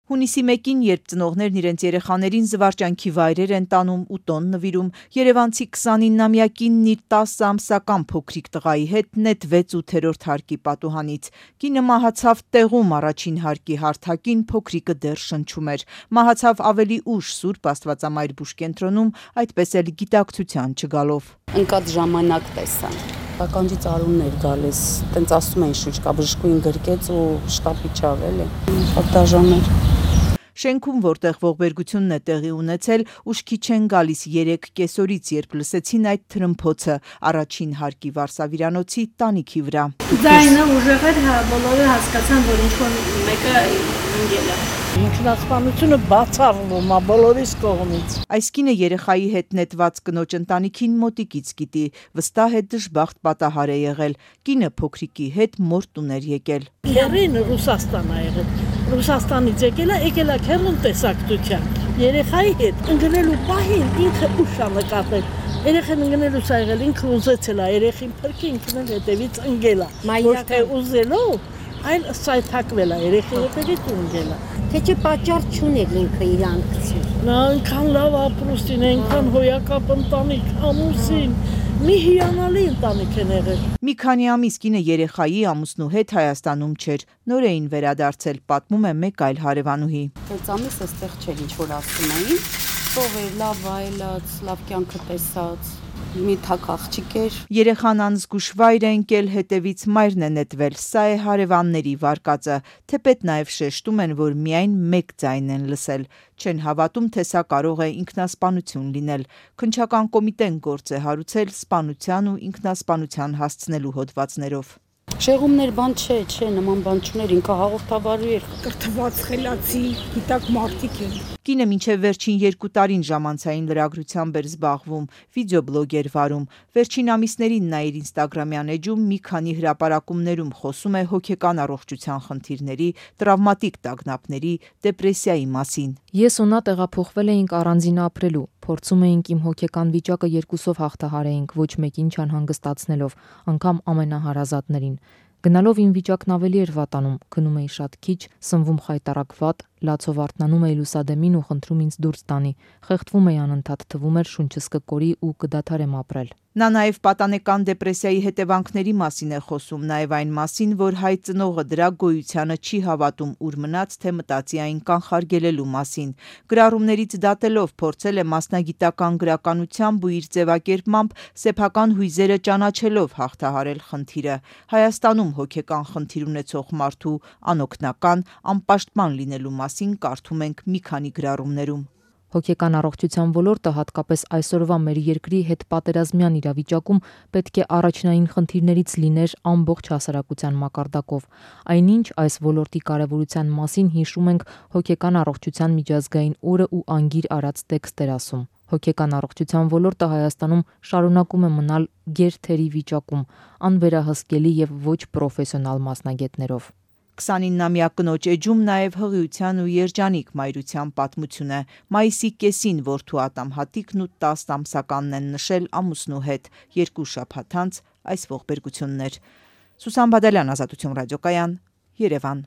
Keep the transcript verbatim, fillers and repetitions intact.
Հունիսի մեկին, երբ ծնողներն իրենց երեխաներին զվարճանքի վայրեր են տանում ու տոն նվիրում, երևանցի քսանիննամյակինն իր տասը ամսական փոքրիկ տղայի հետ նետվեց ութերորդ հարկի պատուհանից։ Կինը մահացավ տեղում առաջին հարկի հարթակին, փոքրիկը դեռ շնչում էր։ Մահացավ ավելի ուշ Սուրբ Աստվածամայր բուժկենտրոնում, այդպես էլ գիտակցության չգալով։ Ընկած ժամանակ տեսա։ Ականջի ծարուններ գալիս, տենց ասում են շուչ կա, բժշկուին գրկեց ու շտապի չավ էլի։ Շատ դաժան էր։ Շենքում, որտեղ ողբերգությունն է տեղի ունեցել, ուշքի չեն գալիս երեք կեսօրից, երբ լսեցին այդ թրմփոցը առաջին հարկի վարսավիրանոցի տանիքի վրա։ Ձայնը ուժեղ էր, բոլորը հասկացան, որ ինչ-որ մեկը ընկել է։ Ինքնասպանությունը բացառվում է բոլորիս կողմից։ Այս կինը երեխայի հետ նետված կնոջ ընտանիքին մոտիկից գիտի, վստահ է դժբախտ պատահար է եղել։ Կինը փոքրիկի հետ մոր տուն էր եկել։ Քեռին Ռուսաստան ա եղել։ Ռուսաստանից եկել է, եկել է քեռուն տեսակցության։ Երեխայի հետ ընկնելու պահին ինքը ուշ ա նկատել։ Երեխան ընկնելուց ա եղել, ինքը ուզեցել է երեխին փրկի, ինքն էլ հետևից ընկել է։ Ոչ թե ուզելով, այլ սայթակվել է երեխի հետևից ու ընկել է։ Թե չէ պատճառ չուներ ինքը իրան գցի։ Նա այնքան լավ ապրուստին, այնքան հոյակապ ընտանիք, ամուսին, մի հիանալի ընտանիք են եղել։ Մի քանի ամիս կինը երեխայի ամուսնու հետ Հայաստանում չէր, նոր էին վերադարձել, պատմում է մեկ այլ հարևանուհի։ Այս ամիս էստեղ չէր, ինչ որ ասում էին, ով էր լավ այլած, լավ կյանքը տեսած, մի թակ աղջիկ էր։ Երեխան անզգուշ վայր է ընկել, հետևից մայրն է նետվել, սա է հարևանների վարկածը, թեպետ նաև շեշտում են, որ միայն մեկ ձայն են լսել, չեն հավատում, թե սա կարող է ինքնասպանություն լինել։ Քննչական կոմիտեն գործ է հարուցել սպանության ու ինքնասպանության հասցնելու հոդվածներով։ Շեղումներ բան չէ, չէ, նման բան չուներ, ինքը հաղորդավարի էր։ Կրթված խելացի, գիտակ մարդիկ են։ Կինը մինչև վերջին երկու տարին ժամանցային լրագրությամբ էր զբաղվում, վիդեոբլոգ էր վարում։ Վերջին ամիսներին նա իր ինստագրամյան էջում մի քանի հրապարակումներում խոսում է հոգեկան առողջության խնդիրների, տրավմատիկ տագնապների, դեպրեսիայի մասին։ Ես ու նա տեղափոխվել էինք առանձին ապրելու, փորձում էինք իմ հոգեկան վիճակը երկուսով հաղթահարեինք, ոչ մեկին չանհանգստացնելով, անգամ ամենահարազատներին։ Գնալով իմ վիճակն ավելի էր վատանում, քնում էի շատ քիչ, սնվում խայտառակ վատ, լացով արթնանում էի լուսադեմին ու խնդրում ինձ դուրս տանի, խեղդվում էի անընդհատ, թվում էր շունչս կկորի ու կդադարեմ ապրել։ Նա նաև պատանեկան դեպրեսիայի հետևանքների մասին է խոսում, նաև այն մասին, որ հայ ծնողը դրա գոյությանը չի հավատում, ուր մնաց, թե մտածի այն կանխարգելելու մասին։ Գրառումներից դատելով փորձել է մասնագիտական գրականությամբ ու իր ձևակերպմամբ սեփական հույզերը ճանաչելով հաղթահարել խնդիրը։ Հայաստանում հոգեկան խնդիր ունեցող մարդու անօգնական, անպաշտպան լինելու մասին կարդում ենք մի քանի գրառումներում։ Հոգեկան առողջության ոլորտը, հատկապես այսօրվա մեր երկրի հետ պատերազմյան իրավիճակում, պետք է առաջնային խնդիրներից լիներ ամբողջ հասարակության մակարդակով։ Այնինչ այս ոլորտի կարևորության մասին հիշում ենք հոգեկան առողջության միջազգային օրը ու անգիր արած տեքստեր ասում։ Հոգեկան առողջության ոլորտը Հայաստանում շարունակում է մնալ գերթերի վիճակում, անվերահսկելի եւ ոչ պրոֆեսիոնալ մասնագետներով։ քսանիննամյա կնոջ էջում նաև հղիության ու երջանիկ մայրության պատմություն է։ Մայիսի կեսին որդու Ատամ Հատիկն ու տասը ամսականն են նշել ամուսնու հետ, երկու շաբաթ անց այս ողբերգությունն էր։ Սուսան Բադալյան, Ազատություն ռադիոկայան, Երևան։